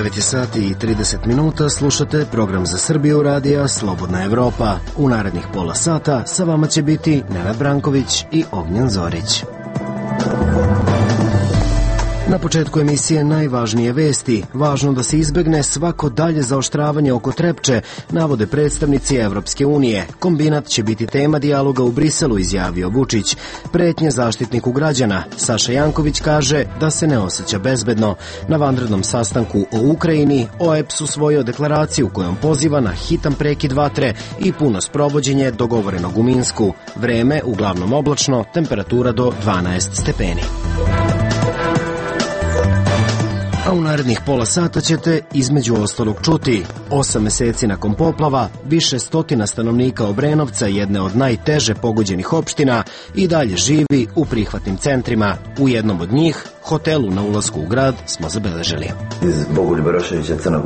9 je sati i 30 minuta, slušate program za Srbiju radija Slobodna Evropa. U narednih pola sata sa vama će biti Nenad Branković i Ognjen Zorić. Na početku emisije najvažnije vesti. Važno da se izbegne svako dalje zaoštravanje oko Trepče, navode predstavnici Evropske unije. Kombinat će biti tema dijaloga u Briselu, izjavio Vučić. Pretnje Zaštitniku građana. Saša Janković kaže da se ne osjeća bezbedno. Na vanrednom sastanku o Ukrajini OEBS usvojio deklaraciju kojom poziva na hitan prekid vatre i puno sprovođenje dogovorenog u Minsku. Vreme uglavnom oblačno, temperatura do 12 stepeni. A u narednih pola sata ćete između ostalog čuti 8 meseci nakon poplava, više stotina stanovnika Obrenovca, jedne od najteže pogođenih opština, i dalje živi u prihvatnim centrima. U jednom od njih, hotelu na ulasku u grad, smo zabeležili. Iz Bogoljuba Roševića Crnog,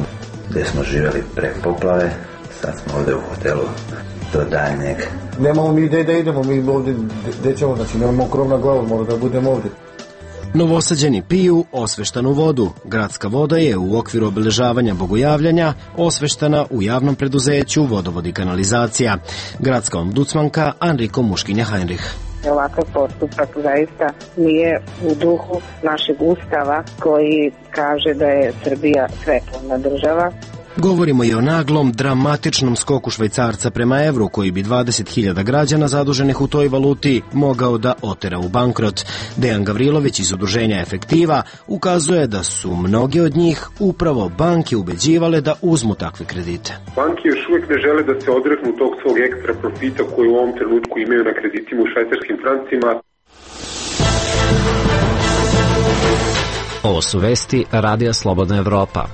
gde smo živjeli pre poplave, sad smo ovde u hotelu do daljnjeg. Nemamo mi gde da idemo, mi ovde, gde ćemo, znači nemamo krov na glavu, moramo da budemo ovde. Novosađeni piju osveštanu vodu. Gradska voda je u okviru obeležavanja bogojavljanja osveštana u javnom preduzeću Vodovod i kanalizacija. Gradska ombudsmanka Anriko Muškinja-Heinrich. Ovakav postupak zaista nije u duhu našeg ustava koji kaže da je Srbija svetovna država. Govorimo i o naglom, dramatičnom skoku švajcarca prema evru, koji bi 20.000 građana zaduženih u toj valuti mogao da otera u bankrot. Dejan Gavrilović iz udruženja Efektiva ukazuje da su mnoge od njih upravo banke ubeđivale da uzmu takve kredite. Banke još uvijek ne žele da se odreknu tog svog ekstra profita koji u ovom trenutku imaju na kreditima u švajcarskim francima. Ovo su vesti Radija Slobodna Evropa.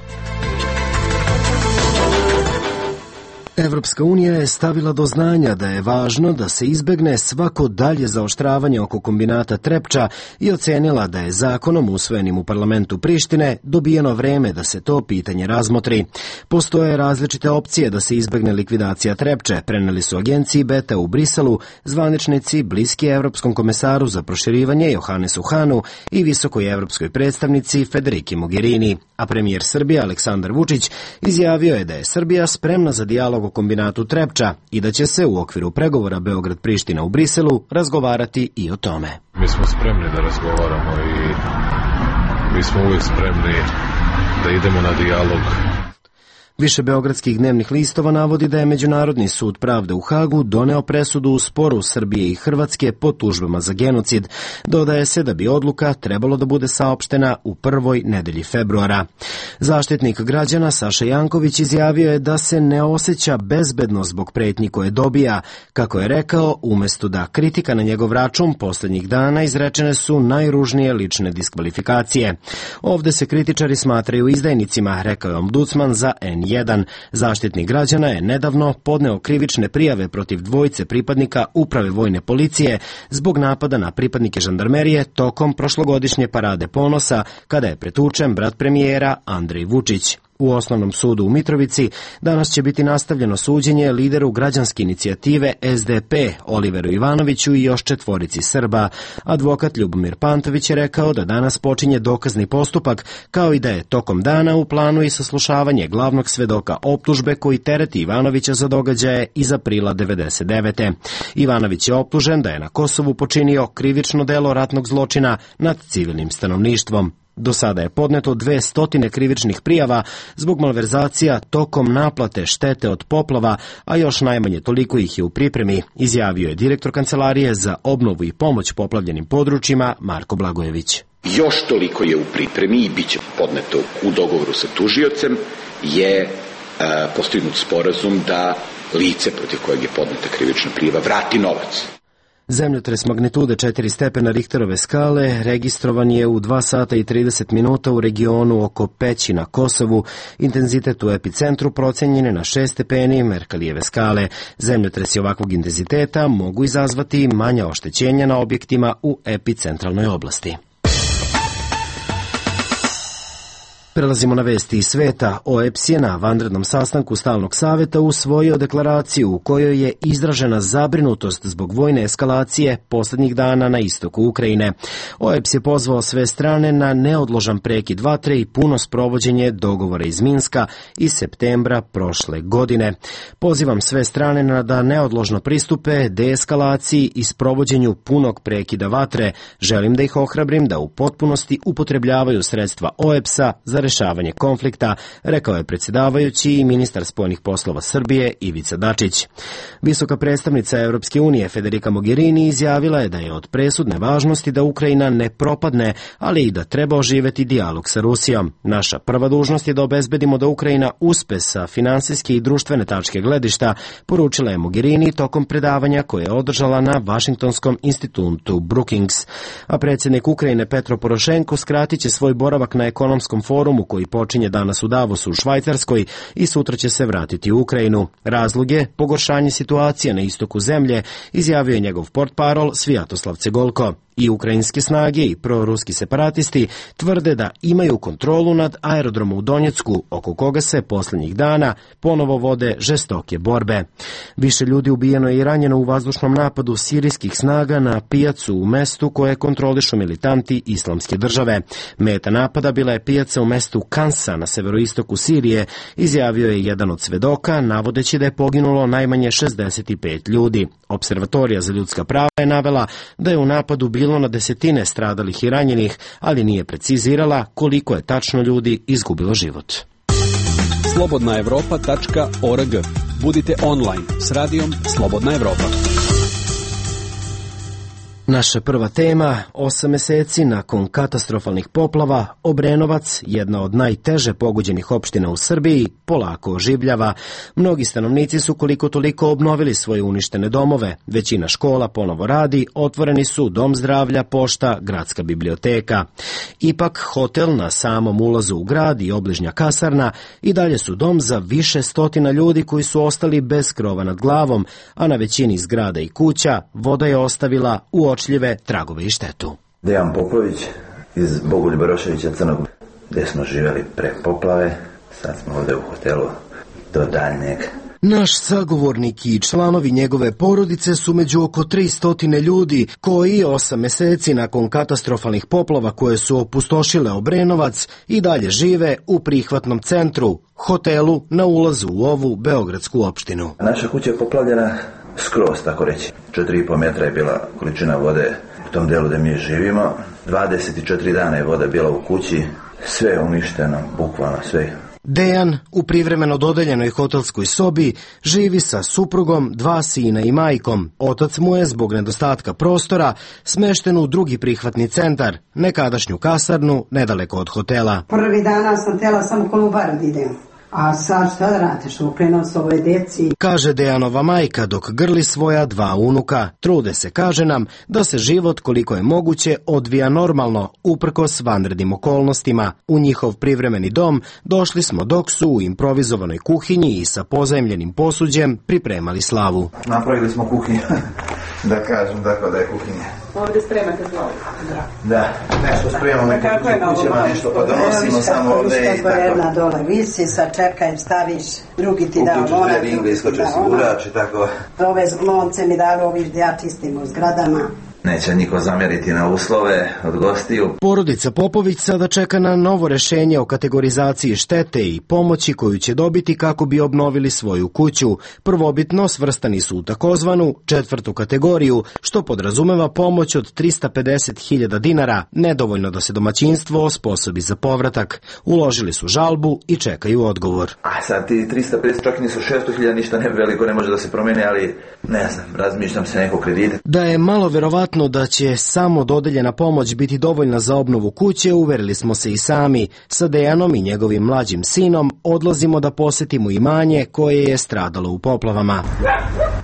Evropska unija je stavila do znanja da je važno da se izbegne svako dalje zaoštravanje oko kombinata Trepča i ocenila da je zakonom usvojenim u parlamentu Prištine dobijeno vreme da se to pitanje razmotri. Postoje različite opcije da se izbegne likvidacija Trepče, preneli su agenciji Beta u Briselu zvaničnici bliski Evropskom komesaru za proširivanje Johannesu Hanu i visokoj evropskoj predstavnici Federiki Mogherini. A premijer Srbije Aleksandar Vučić izjavio je da je Srbija spremna za dijalog o kombinatu Trepča i da će se u okviru pregovora Beograd-Priština u Briselu razgovarati i o tome. Mi smo spremni da razgovaramo i mi smo uvijek spremni da idemo na dijalog. Više beogradskih dnevnih listova navodi da je Međunarodni sud pravde u Hagu doneo presudu u sporu Srbije i Hrvatske po tužbama za genocid. Dodaje se da bi odluka trebalo da bude saopštena u prvoj nedelji februara. Zaštitnik građana Saša Janković izjavio je da se ne osjeća bezbedno zbog pretnji koje dobija. Kako je rekao, umesto da kritika na njegov račun poslednjih dana izrečene su najružnije lične diskvalifikacije. Ovde se kritičari smatraju izdajnicima, rekao je ombudsman za N1. Zaštitnik građana je nedavno podneo krivične prijave protiv dvojice pripadnika Uprave vojne policije zbog napada na pripadnike žandarmerije tokom prošlogodišnje parade ponosa, kada je pretučen brat premijera Andrej Vučić. U Osnovnom sudu u Mitrovici danas će biti nastavljeno suđenje lideru građanske inicijative SDP Oliveru Ivanoviću i još 4 Srba. Advokat Ljubomir Pantović je rekao da danas počinje dokazni postupak, kao i da je tokom dana u planu i saslušavanje glavnog svedoka optužbe koji tereti Ivanovića za događaje iz aprila 1999. Ivanović je optužen da je na Kosovu počinio krivično delo ratnog zločina nad civilnim stanovništvom. Do sada je podneto 200 krivičnih prijava zbog malverzacija tokom naplate štete od poplava, a još najmanje toliko ih je u pripremi, izjavio je direktor Kancelarije za obnovu i pomoć poplavljenim područjima Marko Blagojević. Još toliko je u pripremi i bit će podneto u dogovoru sa tužiocem, je postignut sporazum da lice protiv kojeg je podneta krivična prijava vrati novac. Zemljotres magnitude 4 stepena Richterove skale registrovan je u 2 sata i 30 minuta u regionu oko Peći na Kosovu. Intenzitet u epicentru procenjen je na 6 stepeni Merkalijeve skale. Zemljotresi ovakvog intenziteta mogu izazvati manja oštećenja na objektima u epicentralnoj oblasti. Prelazimo na vesti iz sveta. OEBS je na vanrednom sastanku stalnog saveta usvojio deklaraciju u kojoj je izražena zabrinutost zbog vojne eskalacije posljednjih dana na istoku Ukrajine. OEBS je pozvao sve strane na neodložan prekid vatre i puno sprovođenje dogovora iz Minska iz septembra prošle godine. Pozivam sve strane da neodložno pristupe deeskalaciji i sprovođenju punog prekida vatre. Želim da ih ohrabrim da u potpunosti upotrebljavaju sredstva OEBS-a za rešavanje konflikta, rekao je predsjedavajući i ministar spoljnih poslova Srbije Ivica Dačić. Visoka predstavnica Europske unije Federica Mogherini izjavila je da je od presudne važnosti da Ukrajina ne propadne, ali i da treba oživeti dijalog sa Rusijom. Naša prva dužnost je da obezbedimo da Ukrajina uspe sa finansijske i društvene tačke gledišta, poručila je Mogherini tokom predavanja koje je održala na Vašingtonskom institutu Brookings. A predsjednik Ukrajine Petro Porošenko skratit će svoj boravak na ekonomskom forumu koji počinje danas u Davosu u Švajcarskoj i sutra će se vratiti u Ukrajinu. Razlog je pogoršanje situacije na istoku zemlje, izjavio je njegov portparol Svjatoslav Cegolko. I ukrajinske snage i proruski separatisti tvrde da imaju kontrolu nad aerodromom u Donjecku, oko koga se posljednjih dana ponovo vode žestoke borbe. Više ljudi ubijeno i ranjeno u vazdušnom napadu sirijskih snaga na pijacu u mestu koje kontrolišu militanti Islamske države. Meta napada bila je pijaca u mestu Kansa na severoistoku Sirije, izjavio je jedan od svedoka, navodeći da je poginulo najmanje 65 ljudi. Observatorija za ljudska prava je navela da je u napadu bilo na desetine stradalih i ranjenih, ali nije precizirala koliko je tačno ljudi izgubilo život. slobodnaevropa.org. Budite online s radijom Slobodna Evropa. Naša prva tema, 8 meseci nakon katastrofalnih poplava, Obrenovac, jedna od najteže pogođenih opština u Srbiji, polako oživljava. Mnogi stanovnici su koliko toliko obnovili svoje uništene domove. Većina škola ponovo radi, otvoreni su dom zdravlja, pošta, gradska biblioteka. Ipak, hotel na samom ulazu u grad i obližnja kasarna i dalje su dom za više stotina ljudi koji su ostali bez krova nad glavom, a na većini zgrada i kuća voda je ostavila uočljive tragove i štetu. Dejan Popović iz Bogoljuba Roševića Crnog, gdje smo živjeli pre poplave, sad smo ovdje u hotelu do daljnjeg. Naš sagovornik i članovi njegove porodice su među oko 300 ljudi koji 8 meseci nakon katastrofalnih poplava koje su opustošile Obrenovac i dalje žive u prihvatnom centru, hotelu na ulazu u ovu beogradsku opštinu. Naša kuća je poplavljena skroz, tako reći. 4,5 metra je bila količina vode u tom delu gdje mi živimo. 24 dana je voda bila u kući, sve je uništeno, bukvalno sve. Dejan u privremeno dodeljenoj hotelskoj sobi živi sa suprugom, 2 sina i majkom. Otac mu je zbog nedostatka prostora smešten u drugi prihvatni centar, nekadašnju kasarnu nedaleko od hotela. Prvi dana sam htjela samo Kolubar da idem. A sad šta da radiš, ukrenuo s ovoj djeci? Kaže Dejanova majka dok grli svoja 2 unuka. Trude se, kaže nam, da se život koliko je moguće odvija normalno, uprkos vanrednim okolnostima. U njihov privremeni dom došli smo dok su u improvizovanoj kuhinji i sa pozajmljenim posuđem pripremali slavu. Napravili smo kuhinju, da kažem tako da je kuhinja. Ovdje spremate slavu? Da, nešto spremamo neko kućama, nešto pa donosimo samo ovdje i tako. Jedna dole visi, sad čekaj, staviš, drugi ti da ona. Uključite ringle, iskoče sigurač i tako. Ove lonce mi dalo oviš da ja čistim u zgradama. Neće niko zamjeriti na uslove od gostiju. Porodica Popović sada čeka na novo rešenje o kategorizaciji štete i pomoći koju će dobiti kako bi obnovili svoju kuću. Prvobitno svrstani su u takozvanu 4. kategoriju, što podrazumeva pomoć od 350.000 dinara, nedovoljno da se domaćinstvo osposobi za povratak. Uložili su žalbu i čekaju odgovor. A sad ti 350, čak nisu 600.000, ništa ne veliko, ne može da se promene, ali ne znam, razmišljam se neko kredite. Da je malo verovatno da će samo dodeljena pomoć biti dovoljna za obnovu kuće, uverili smo se i sami. Sa Dejanom i njegovim mlađim sinom odlazimo da posetimo imanje koje je stradalo u poplavama.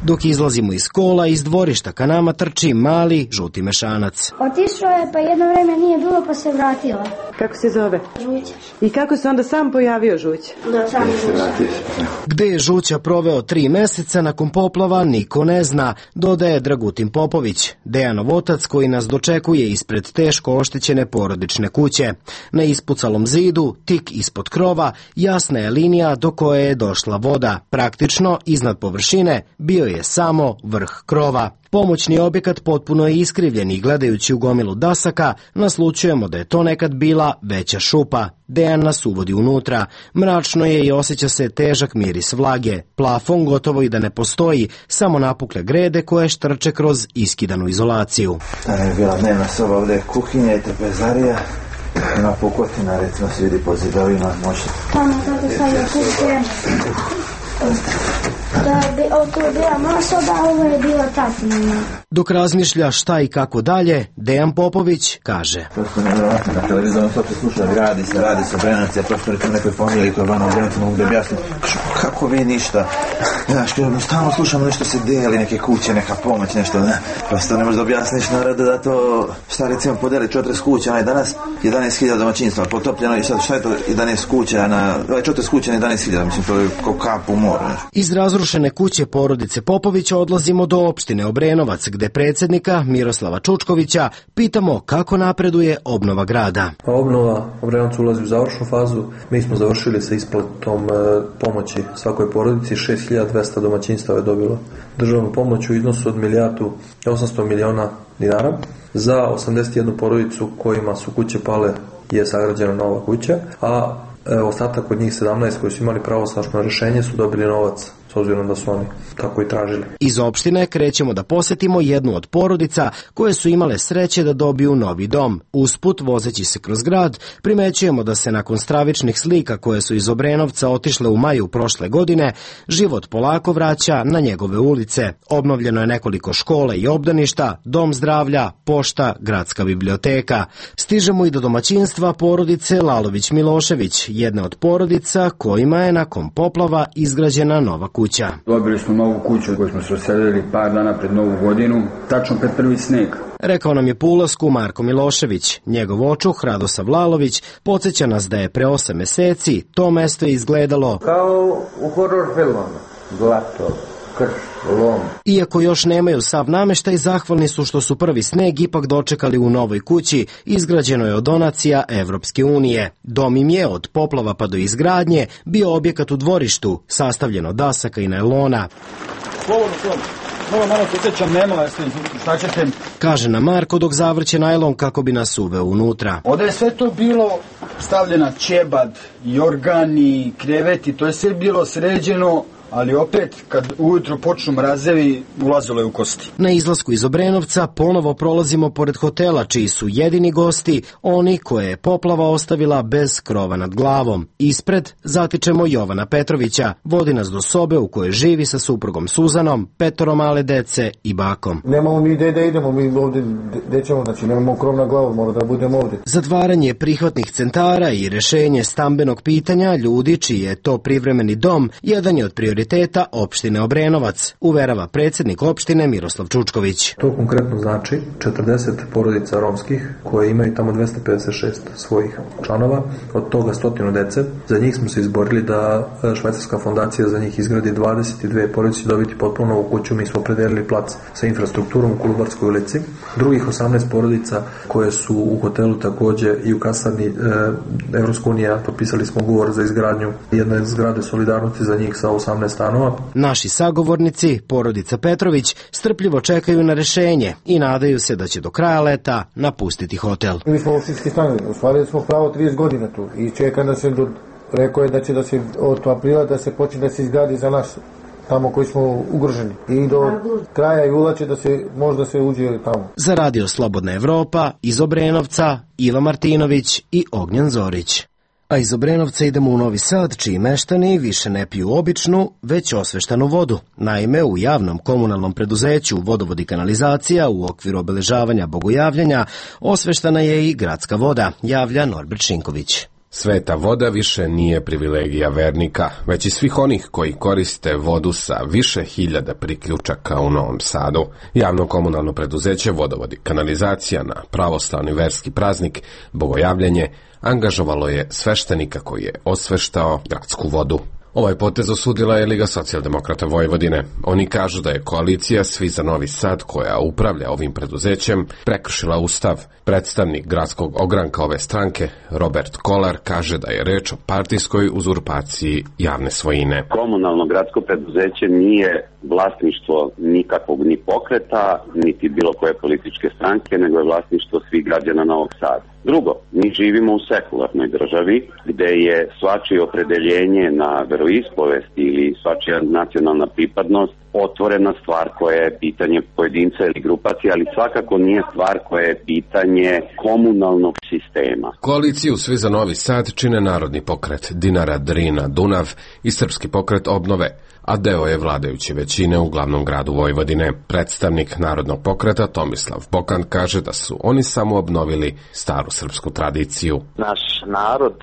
Dok izlazimo iz kola, iz dvorišta ka nama trči mali žuti mešanac. Otišao je, pa jedno vreme nije bilo, pa se vratila. Kako se zove? Žuća. I kako se onda sam pojavio Žuća? Da, sam Žuća. Gde je Žuća proveo 3 meseca nakon poplava, niko ne zna, dodaje Dragutin Popović, Dejanov otac koji nas dočekuje ispred teško oštećene porodične kuće. Na ispucalom zidu, tik ispod krova, jasna je linija do koje je došla voda. Praktično, iznad površine, bio je samo vrh krova. Pomoćni objekat potpuno je iskrivljen i gledajući u gomilu dasaka, naslućujemo da je to nekad bila veća šupa. Dejan nas uvodi unutra. Mračno je i osjeća se težak miris vlage. Plafon gotovo i da ne postoji, samo napukle grede koje štrče kroz iskidanu izolaciju. Tamo je bila dnevna soba, ovdje je kuhinja i trpezarija. Ima pukotina, recimo se vidi po zidovima, možete. Tamo kako sad je kuće. To je bila moja soba, a ovo je bila tatina. Dok razmišlja šta i kako dalje, Dejan Popović kaže. Prosto nevjerojatno, na televizoru to se sluša, radi se Brenac, ja prosto recimo nekoj familiji koja je vana u Brenacu, mogu da objasnim, kako vi ništa, znaš, stalno slušamo nešto se deli, neke kuće, neka pomoć, nešto, ne, prosto ne možeš da objasniš narodu da to, šta recimo podeli 40 kuća, onaj danas 11.000 domaćinstva, potopljeno i šta je to 11 kuća, 40 kuća na 11.000, mislim, to je kao kap u moru. Iz razrušene kuće porodice Popovića odlazimo do opštine Obrenovac, gde predsjednika Miroslava Čučkovića pitamo kako napreduje obnova grada. Obnova Obrenovac ulazi u završnu fazu. Mi smo završili sa isplatom pomoći svakoj porodici. 6.200 domaćinstava je dobilo državnu pomoć u iznosu od 1.800.000.000 dinara. Za 81 porodicu kojima su kuće pale je sagrađena nova kuća, a ostatak od njih 17 koji su imali pravosnažno rješenje su dobili novac, s obzirom da su oni tako i tražili. Iz opštine krećemo da posetimo jednu od porodica koje su imale sreće da dobiju novi dom. Usput, vozeći se kroz grad, primećujemo da se nakon stravičnih slika koje su iz Obrenovca otišle u maju prošle godine, život polako vraća na njegove ulice. Obnovljeno je nekoliko škola i obdaništa, dom zdravlja, pošta, gradska biblioteka. Stižemo i do domaćinstva porodice Lalović-Milošević, jedne od porodica kojima je nakon poplava izgrađena nova kuća. Dobili smo novu kuću koju smo se raselili par dana pred Novu godinu, tačno pred prvi sneg. Rekao nam je po ulasku Marko Milošević. Njegov očuh, Radosav Lalović, podsjeća nas da je pre 8 meseci to mesto izgledalo kao u horror filmama. Zlato, krš, lom. Iako još nemaju sav nameštaj, zahvalni su što su prvi sneg ipak dočekali u novoj kući, izgrađeno je od donacija Evropske unije. Dom im je od poplava pa do izgradnje bio objekat u dvorištu, sastavljen od dasaka i najlona. Malo podsjećam, nema, šta ćete? Kaže nam Marko dok zavrće najlon kako bi nas uveo unutra. Ovdje je sve to bilo stavljena ćebad, jorgani, kreveti, to je sve bilo sređeno, ali opet, kad ujutro počnu mrazevi, ulazilo je u kosti. Na izlasku iz Obrenovca ponovo prolazimo pored hotela, čiji su jedini gosti oni koje je poplava ostavila bez krova nad glavom. Ispred zatičemo Jovana Petrovića, vodi nas do sobe u kojoj živi sa suprugom Suzanom, 5 male dece i bakom. Nemamo mi gde da idemo, mi ovdje gde ćemo, znači nemamo krov na glavu, mora da budemo ovdje. Zatvaranje prihvatnih centara i rešenje stambenog pitanja ljudi čiji je to privremeni dom, jedan je od prioriteta opštine Obrenovac, uverava predsjednik opštine Miroslav Čučković. To konkretno znači 40 porodica romskih koje imaju tamo 256 svojih članova, od toga 100 dece. Za njih smo se izborili da švajcarska fondacija za njih izgradi 22 porodice dobiti potpuno novu kuću. Mi smo predelili plac sa infrastrukturom u Kolubarskoj ulici. Drugih 18 porodica koje su u hotelu takođe i u kasarni Evropska unija, potpisali smo ugovor za izgradnju jedne zgrade solidarnosti za njih sa 18 stanova. Naši sagovornici, porodica Petrović, strpljivo čekaju na rešenje i nadaju se da će do kraja leta napustiti hotel. Mi smo opštinski stanovi, ostvarili smo pravo 30 godina tu i čeka da se, rekao je da će da se od aprila da se počne da se izgradi za nas tamo koji smo ugroženi. I do kraja jula će da se možda se uđe tamo. Za Radio Slobodna Evropa iz Obrenovca Iva Martinović i Ognjen Zorić. A iz Obrenovca idemo u Novi Sad, čiji meštani više ne piju običnu, već osveštanu vodu. Naime, u javnom komunalnom preduzeću Vodovod i kanalizacija u okviru obeležavanja Bogojavljanja osveštana je i gradska voda, javlja Norbert Šinković. Sveta voda više nije privilegija vernika, već i svih onih koji koriste vodu sa više hiljada priključaka u Novom Sadu. Javno komunalno preduzeće Vodovod i kanalizacija na pravoslavni verski praznik Bogojavljanje angažovalo je sveštenika koji je osveštao gradsku vodu. Ovaj potez osudila je Liga socijaldemokrata Vojvodine. Oni kažu da je koalicija Svi za Novi Sad, koja upravlja ovim preduzećem, prekršila ustav. Predstavnik gradskog ogranka ove stranke, Robert Kolar, kaže da je reč o partijskoj uzurpaciji javne svojine. Komunalno gradsko preduzeće nije vlasništvo nikakvog ni pokreta, niti bilo koje političke stranke, nego je vlasništvo svih građana Novog Sada. Drugo, mi živimo u sekularnoj državi gde je svačije opredeljenje na veroispovest ili svačija nacionalna pripadnost otvorena stvar koja je pitanje pojedinca ili grupacije, ali svakako nije stvar koja je pitanje komunalnog sistema. Koaliciju Svi za Novi Sad čine Narodni pokret Dinara, Drina, Dunav i Srpski pokret Obnove, a deo je vladajuće većine u glavnom gradu Vojvodine. Predstavnik Narodnog pokreta Tomislav Bokan kaže da su oni samo obnovili staru srpsku tradiciju. Naš narod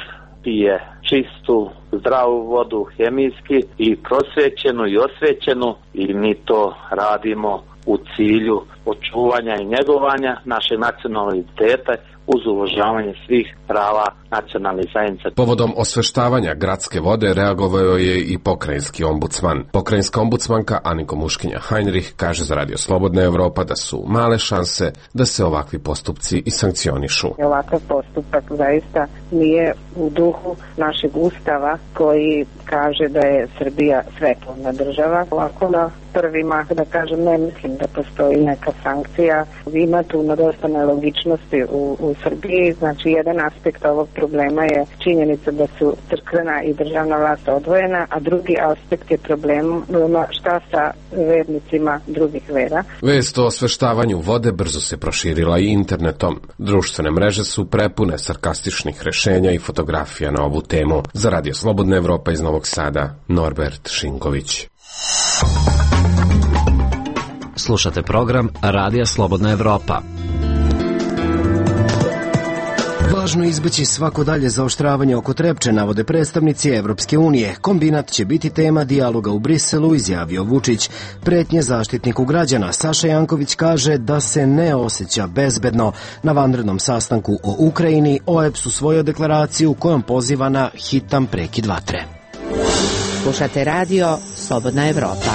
pije čistu, zdravu vodu, hemijski i prosvećenu i osvećenu, i mi to radimo u cilju očuvanja i njegovanja našeg nacionalnog identiteta uz uvažavanje svih prava nacionalnih zajednica. Povodom osveštavanja gradske vode reagovao je i pokrajinski ombudsman. Pokrajinska ombudsmanka Aniko Muškinja Heinrich kaže za Radio Slobodna Evropa da su male šanse da se ovakvi postupci i sankcionišu. Ovakav postupak zaista nije u duhu našeg ustava koji kaže da je Srbija svetovna država. Ovako na prvi mah, da kažem, ne mislim da postoji neka sankcija. Ima tu dosta nelogičnosti u Srbiji. Znači, jedan aspekt ovog problema je činjenica da su crkvena i državna vlast odvojena, a drugi aspekt je problem šta sa vernicima drugih vera. Vest o osveštavanju vode brzo se proširila i internetom. Društvene mreže su prepune sarkastičnih rešenja i fotografija na ovu temu. Za Radio Slobodna Evropa iz Novog Sada, Norbert Šinković. Slušate program Radija Slobodna Evropa. Važno je izbeći svako dalje zaoštravanje oko Trepče, navode predstavnici Evropske unije. Kombinat će biti tema dijaloga u Briselu, izjavio Vučić. Pretnje zaštitniku građana Saša Janković kaže da se ne osjeća bezbedno. Na vanrednom sastanku o Ukrajini OEBS usvojio deklaraciju kojom poziva na hitan prekid vatre. Slušate radio Slobodna Evropa.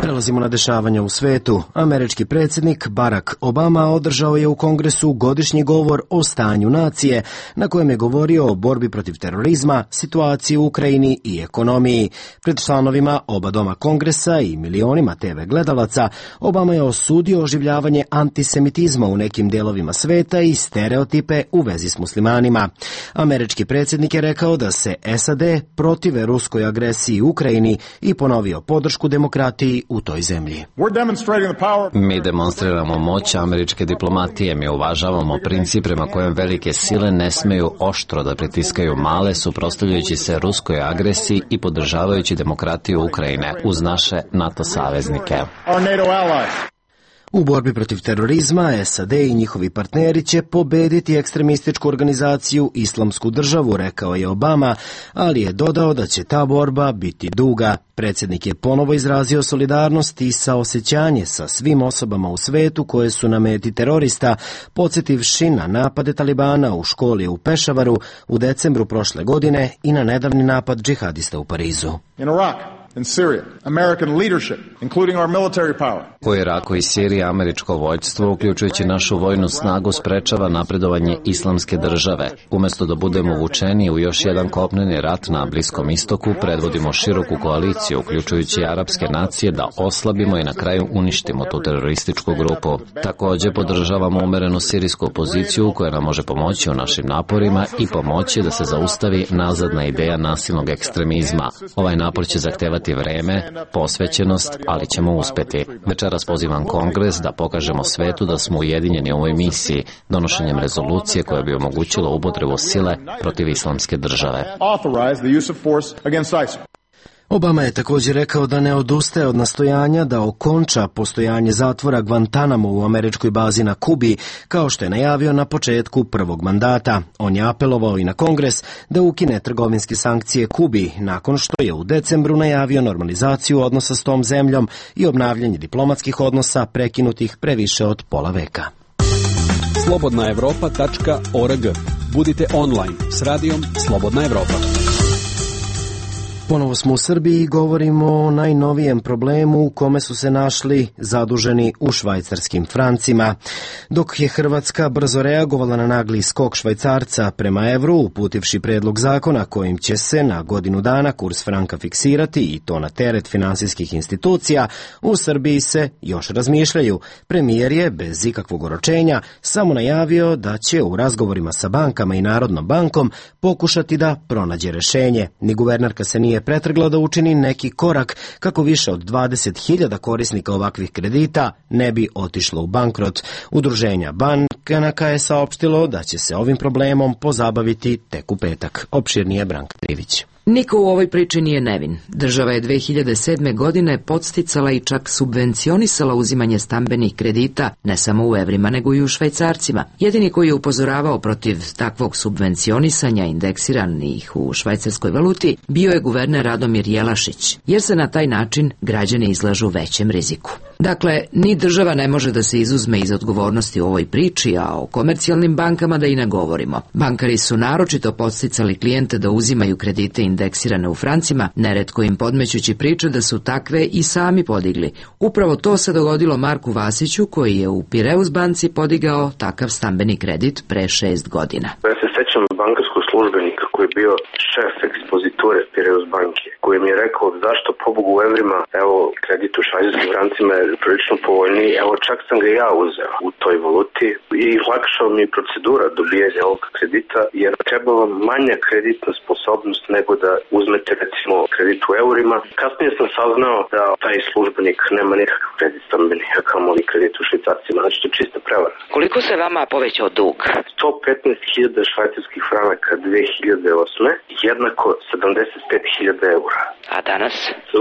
Prelazimo na dešavanja u svetu. Američki predsjednik Barack Obama održao je u Kongresu godišnji govor o stanju nacije, na kojem je govorio o borbi protiv terorizma, situaciji u Ukrajini i ekonomiji. Pred članovima oba doma Kongresa i milionima TV gledalaca, Obama je osudio oživljavanje antisemitizma u nekim dijelovima sveta i stereotipe u vezi s muslimanima. Američki predsjednik je rekao da se SAD protive ruskoj agresiji u Ukrajini i ponovio podršku demokratiji u toj zemlji. Mi demonstriramo moć američke diplomatije, mi uvažavamo princip prema kojem velike sile ne smeju oštro da pritiskaju male, suprotstavljajući se ruskoj agresiji i podržavajući demokratiju Ukrajine uz naše NATO saveznike. U borbi protiv terorizma SAD i njihovi partneri će pobediti ekstremističku organizaciju Islamsku državu, rekao je Obama, ali je dodao da će ta borba biti duga. Predsjednik je ponovo izrazio solidarnost i saosećanje sa svim osobama u svetu koje su na meti terorista, podsjetivši na napade Talibana u školi u Pešavaru u decembru prošle godine i na nedavni napad džihadista u Parizu. U Iraku i Siriji američko vojstvo, uključujući našu vojnu snagu, sprečava napredovanje Islamske države. Umjesto da budemo vučeni u još jedan kopneni rat na Bliskom istoku, predvodimo široku koaliciju, uključujući arapske nacije, da oslabimo i na kraju uništimo tu terorističku grupu. Također podržavamo umerenu sirijsku opoziciju koja nam može pomoći u našim naporima i pomoći da se zaustavi nazadna ideja nasilnog ekstremizma. Ovaj napor će zahtevati vreme, posvećenost, ali ćemo uspeti. Večeras pozivam Kongres da pokažemo svetu da smo ujedinjeni u ovoj misiji, donošenjem rezolucije koja bi omogućila upotrebu sile protiv Islamske države. Obama je također rekao da ne odustaje od nastojanja da okonča postojanje zatvora Guantanamo u američkoj bazi na Kubi, kao što je najavio na početku prvog mandata. On je apelovao i na Kongres da ukine trgovinske sankcije Kubi, nakon što je u decembru najavio normalizaciju odnosa s tom zemljom i obnavljanje diplomatskih odnosa prekinutih previše od pola veka. Slobodnaevropa.org. Budite online s radijom Slobodna Evropa. Ponovo smo u Srbiji i govorimo o najnovijem problemu u kome su se našli zaduženi u švajcarskim francima. Dok je Hrvatska brzo reagovala na nagli skok švajcarca prema evru, uputivši predlog zakona kojim će se na godinu dana kurs franka fiksirati i to na teret finansijskih institucija, u Srbiji se još razmišljaju. Premijer je, bez ikakvog oročenja, samo najavio da će u razgovorima sa bankama i Narodnom bankom pokušati da pronađe rešenje. Ni guvernerka se nije pretrgla da učini neki korak kako više od 20.000 korisnika ovakvih kredita ne bi otišlo u bankrot. Udruženja banaka je saopštilo da će se ovim problemom pozabaviti tek u petak. Opširnije Branka Trivić. Niko u ovoj priči nije nevin. Država je 2007. godine podsticala i čak subvencionisala uzimanje stambenih kredita ne samo u evrima nego i u švajcarcima. Jedini koji je upozoravao protiv takvog subvencionisanja indeksiranih u švajcarskoj valuti bio je guverner Radomir Jelašić, jer se na taj način građani izlažu većem riziku. Dakle, ni država ne može da se izuzme iz odgovornosti u ovoj priči, a o komercijalnim bankama da i ne govorimo. Bankari su naročito podsticali klijente da uzimaju kredite indeksirane u francima, neretko im podmećući priče da su takve i sami podigli. Upravo to se dogodilo Marku Vasiću, koji je u Pireus banci podigao takav stambeni kredit pre 6 godina. Ja se sećam bankarskog službenika koji je bio šef ekspoziture Pireus banke, koji mi je rekao zašto pobogu u evrima, evo kredit u švajcarskim francima je prilično povoljniji, evo čak sam ga ja uzeo u toj valuti i lakšao mi procedura dobijanja ovog kredita, jer treba vam manja kreditna sposobnost nego da uzmete recimo kredit u eurima. Kasnije sam saznao da taj službenik nema nikakav kredit stambeni, a kamoli kredit u švajcarcima, znači to je čista prevara. Koliko se vama povećao dug? 115.000 švajcarskih franaka 2008. jednako 75.000 eura. A danas?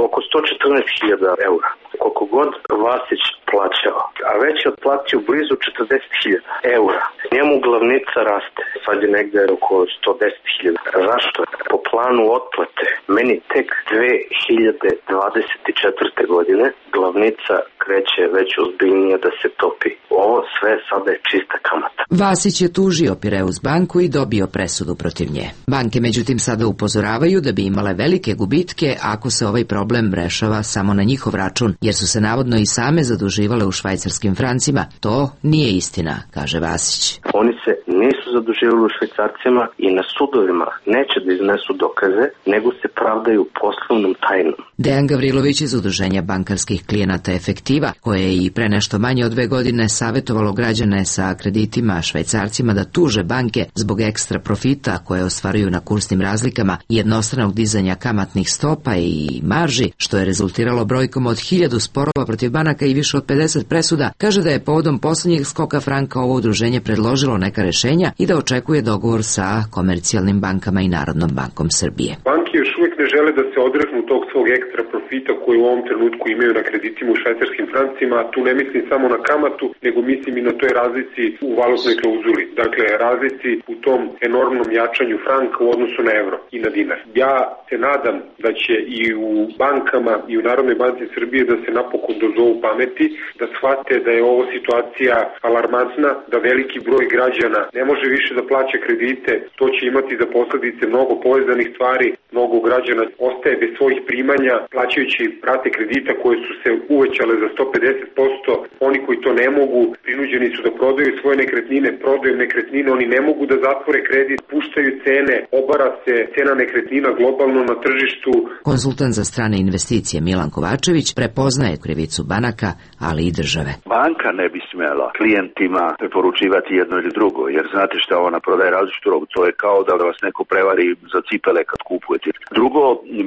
Oko 114.000 eura. Koliko god Vasić plaćao, a već je otplatio blizu 40.000 eura. Njemu glavnica raste, sad je negde oko 110.000. Zašto? Po planu otplate, meni tek 2024. godine glavnica kreće već ozbiljnije da se topi. Ovo sve sada je čista kamata. Vasić je tužio Pireus banku i dobio presudu protiv nje. Banke međutim sada upozoravaju da bi imale velike gubitke ako se ovaj problem rešava samo na njihov račun, jer su se navodno i same zaduživale u švajcarskim francima. To nije istina, kaže Vasić. Oni se nisu zaduživali u švajcarcima i na sudovima neće da iznesu dokaze, nego se pravdaju poslovnom tajnom. Dejan Gavrilović iz Udruženja bankarskih klijenata Efektiva, koje je i pre nešto manje od 2 godine savjetovalo građane sa kreditima švajcarcima da tuže banke zbog ekstra profita koje ostvaruju na kursnim razlikama i jednostranog dizanja kamatnih stopa i marži, što je rezultiralo brojkom od 1000 sporova protiv banaka i više od 50 presuda, kaže da je povodom poslednjeg skoka franka ovo udruženje predložilo neka rešenja i da očekuje dogovor sa komercijalnim bankama i Narodnom bankom Srbije. Banke još uvijek ne žele da se odreknu tog svog ekstra profita koji u ovom trenutku imaju na kreditima u švajcarskim francima. Tu ne mislim samo na kamatu, nego mislim i na toj razlici u valutnoj klauzuli. Dakle, razlici u tom enormnom jačanju franka u odnosu na evro i na dinar. Ja se nadam da će i u bankama i u Narodnoj banci Srbije da se napokon dozovu pameti, da shvate da je ovo situacija alarmantna, da veliki broj građana ne može više da plaća kredite, to će imati za posledice mnogo povezanih stvari, mnogo građana ostaje bez svojih primanja, plaćajući rate kredita koje su se uvećale za 150%, oni koji to ne mogu, prinuđeni su da prodaju svoje nekretnine, prodaju nekretnine, oni ne mogu da zatvore kredit, puštaju cene, obara se cena nekretnina globalno na tržištu. Konsultant za strane investicije Milan Kovačević prepoznaje krivicu banaka, ali i države. Banka ne bi smjela klijentima preporučivati jedno ili drugo, jer znate šta, ona prodaje različitu robu, to je kao da vas neko prevari za cipele kad kupuje Jagodini. Drugo,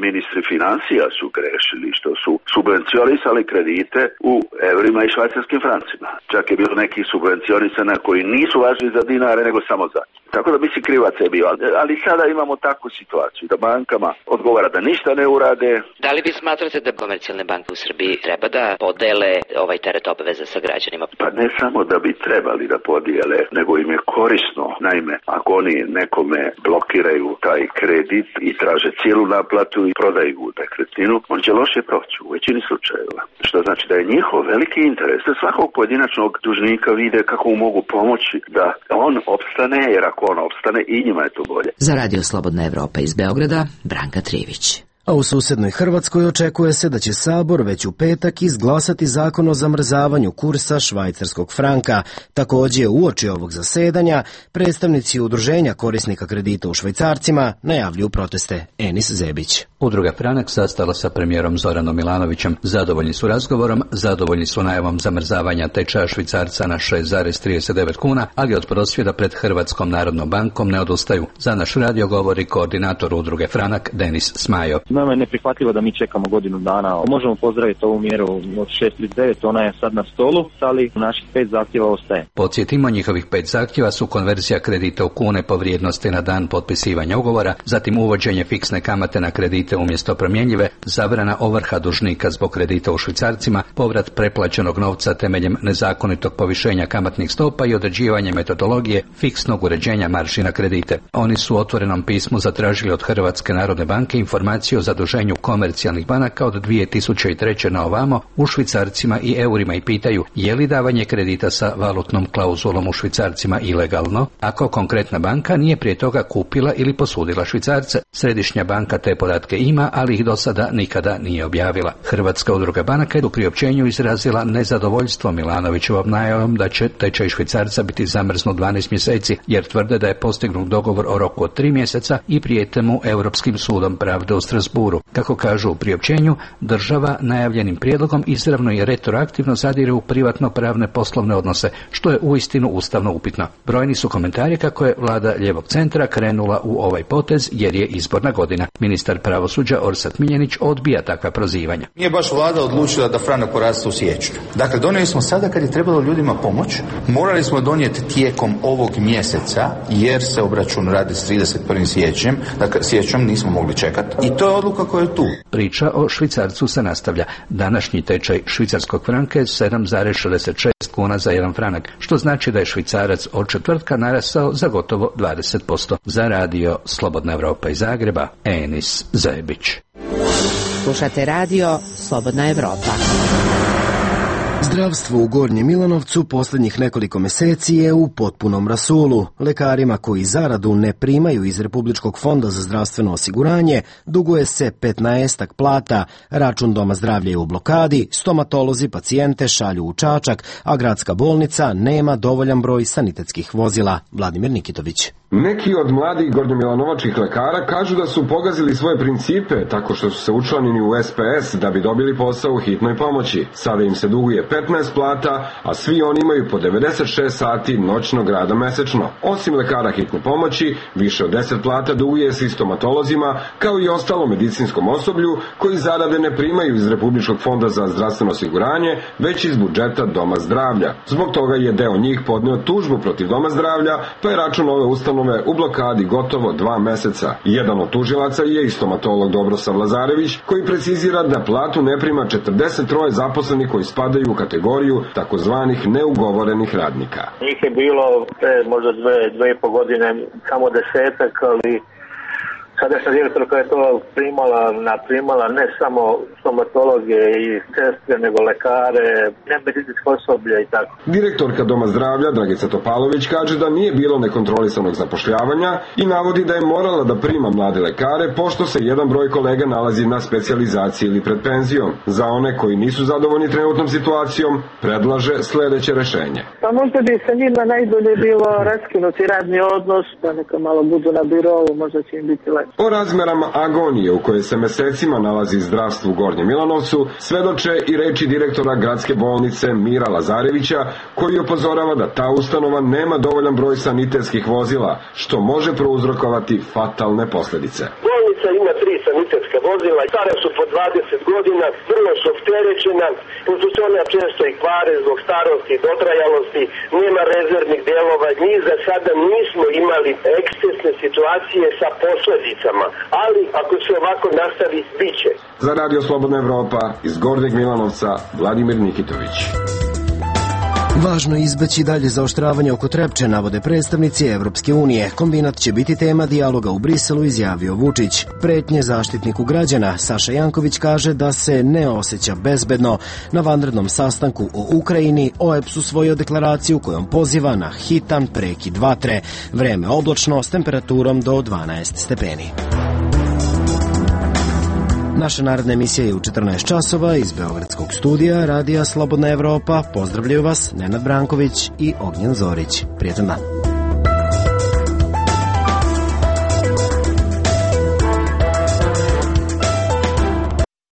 ministri financija su grešili što su subvencionisali kredite u evrima i švajcarskim francima. Čak je bilo nekih subvencionisana koji nisu važni za dinare nego samo za. Tako da mislim krivac je bio. Ali sada imamo takvu situaciju da bankama odgovara da ništa ne urade. Da li vi smatrate da komercijalne banke u Srbiji treba da podele ovaj teret obaveza sa građanima? Pa ne samo da bi trebali da podijele, nego im je korisno. Naime, ako oni nekome blokiraju taj kredit i traže cijelu naplatu i prodaju nekretninu, on će loše proći u većini slučajeva. Što znači da je njihov veliki interes da svakog pojedinačnog dužnika vide kako mu mogu pomoći da on opstane, jer ako on opstane i njima je to bolje. Za Radio Slobodna Evropa iz Beograda, Branka Trivić. A u susednoj Hrvatskoj očekuje se da će Sabor već u petak izglasati zakon o zamrzavanju kursa švajcarskog franka. Također, uoči ovog zasedanja, predstavnici udruženja korisnika kredita u švajcarcima najavljuju proteste. Enis Zebić. Udruga Franak sastala sa premijerom Zoranom Milanovićem. Zadovoljni su razgovorom, zadovoljni su najavom zamrzavanja tečaja švicarca na 6,39 kuna, ali od prosvjeda pred Hrvatskom narodnom bankom ne odustaju. Za naš radio govori koordinator udruge Franak Denis Smajo. Nama je neprihvatljivo da mi čekamo godinu dana. Možemo pozdraviti ovu mjeru od 6,39, ona je sad na stolu, ali naših 5 zahtjeva ostaje. Podsjetimo, njihovih 5 zahtjeva su konverzija kredita u kune po vrijednosti na dan potpisivanja ugovora, zatim uvođenje fiksne kamate na kredite umjesto promjenjive, zabrana ovrha dužnika zbog kredita u švicarcima, povrat preplaćenog novca temeljem nezakonitog povišenja kamatnih stopa i određivanje metodologije fiksnog uređenja marži na kredite. Oni su u otvorenom pismu zatražili od Hrvatske narodne banke informaciju o zaduženju komercijalnih banaka od 2003. na ovamo u švicarcima i eurima i pitaju je li davanje kredita sa valutnom klauzulom u švicarcima ilegalno, ako konkretna banka nije prije toga kupila ili posudila švicarce. Središnja banka te podatke ima, ali ih do sada nikada nije objavila. Hrvatska udruga banaka je u priopćenju izrazila nezadovoljstvo Milanovićevom najavom da će tečaj švicarca biti zamrznut 12 mjeseci, jer tvrde da je postignut dogovor o roku od 3 mjeseca i prijete mu Europskim sudom pravde u Strasburu. Kako kažu u priopćenju, država najavljenim prijedlogom izravno i retroaktivno zadire u privatno-pravne poslovne odnose, što je uistinu ustavno upitno. Brojni su komentari kako je vlada lijevog centra krenula u ovaj potez jer je izborna godina. Ministar pravosuđa Orsat Miljenić odbija takva prozivanja. Nije baš vlada odlučila da franak poraste u siječnju. Dakle, donijeli smo sada kad je trebalo ljudima pomoć. Morali smo donijeti tijekom ovog mjeseca jer se obračun radi s 31. siječnjem. Dakle, siječnjem nismo mogli čekati. I to je odluka koja je tu. Priča o švicarcu se nastavlja. Današnji tečaj švicarskog franka je 7,66 kuna za jedan franak, što znači da je švicarac od četvrtka narastao za gotovo 20%. Za radio Slobodna Evropa iz Zagreba, Enis Zebić. Slušate radio Slobodna Evropa. Zdravstvo u Gornjem Milanovcu posljednjih nekoliko mjeseci je u potpunom rasulu. Lekarima koji zaradu ne primaju iz Republičkog fonda za zdravstveno osiguranje duguje se 15 plata, račun Doma zdravlja je u blokadi, stomatolozi pacijente šalju u Čačak, a gradska bolnica nema dovoljan broj sanitetskih vozila. Vladimir Nikitović. Neki od mladih gornjomilanovačkih lekara kažu da su pogazili svoje principe tako što su se učlanili u SPS da bi dobili posao u hitnoj pomoći. Sada im se duguje 15 plata, a svi oni imaju po 96 sati noćnog rada mesečno. Osim lekara hitne pomoći, više od 10 plata duguje se i stomatolozima, kao i ostalo medicinskom osoblju koji zarade ne primaju iz Republičkog fonda za zdravstveno osiguranje, već iz budžeta Doma zdravlja. Zbog toga je deo njih podneo tužbu protiv Doma zdravlja, pa je račun ove ustanove u blokadi gotovo 2 meseca. Jedan od tužilaca je i stomatolog Dobrosav Lazarević, koji precizira da platu ne prima 43 zaposlenih koji spadaju u kategoriju takozvanih neugovorenih radnika. Njih je bilo možda 2,5 godine, samo 10, ali sadašnja direktorka je to primala ne samo stomatologe i sestre, nego lekare, nemedicinsko osoblje i tako. Direktorka Doma zdravlja Dragica Topalović kaže da nije bilo nekontrolisanog zapošljavanja i navodi da je morala da prima mlade lekare pošto se jedan broj kolega nalazi na specijalizaciji ili pred penzijom. Za one koji nisu zadovoljni trenutnom situacijom, predlaže sljedeće rešenje. Pa možda bi sa njima najbolje bilo raskinuti radni odnos, pa neka malo budu na birovu, možda će im biti lepo. O razmerama agonije u kojoj se mesecima nalazi zdravstvo u Gornjem Milanovcu svedoče i reči direktora gradske bolnice Mira Lazarevića, koji upozorava da ta ustanova nema dovoljan broj sanitetskih vozila, što može prouzrokovati fatalne posljedice. Bolnica ima 3 dizelska vozila, stara su po 20 godina, vrlo su opterećena, pošto se ona često i kvare zbog starosti i dotrajalosti, nema rezervnih delova, mi za sada nismo imali ekscesne situacije sa posledicama, ali ako se ovako nastavi, bit će. Za Radio Slobodna Evropa iz Gornjeg Milanovca, Vladimir Nikitović. Važno je izbeći dalje zaoštravanje oko Trepče, navode predstavnici Evropske unije. Kombinat će biti tema dijaloga u Briselu, izjavio Vučić. Pretnje zaštitniku građana Saša Janković kaže da se ne osjeća bezbedno. Na vanrednom sastanku o Ukrajini OEBS usvojio deklaraciju kojom poziva na hitan prekid vatre. Vreme oblačno s temperaturom do 12 stepeni. Naša naredna emisija je u 14 časova iz Beogradskog studija Radija Slobodna Evropa. Pozdravljaju vas Nenad Branković i Ognjen Zorić. Prijetan dan.